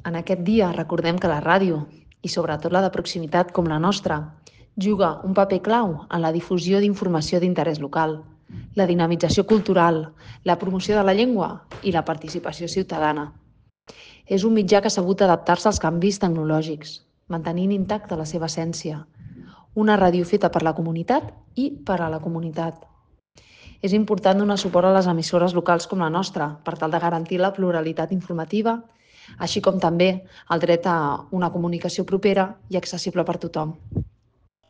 En aquest dia recordem que la ràdio, i sobretot la de proximitat com la nostra, juga un paper clau en la difusió d'informació d'interès local, la dinamització cultural, la promoció de la llengua i la participació ciutadana. És un mitjà que ha sabut adaptar-se als canvis tecnològics, mantenint intacta la seva essència. Una ràdio feta per la comunitat i per a la comunitat. És important donar suport a les emissores locals com la nostra per tal de garantir la pluralitat informativa, així com també el dret a una comunicació propera i accessible per tothom.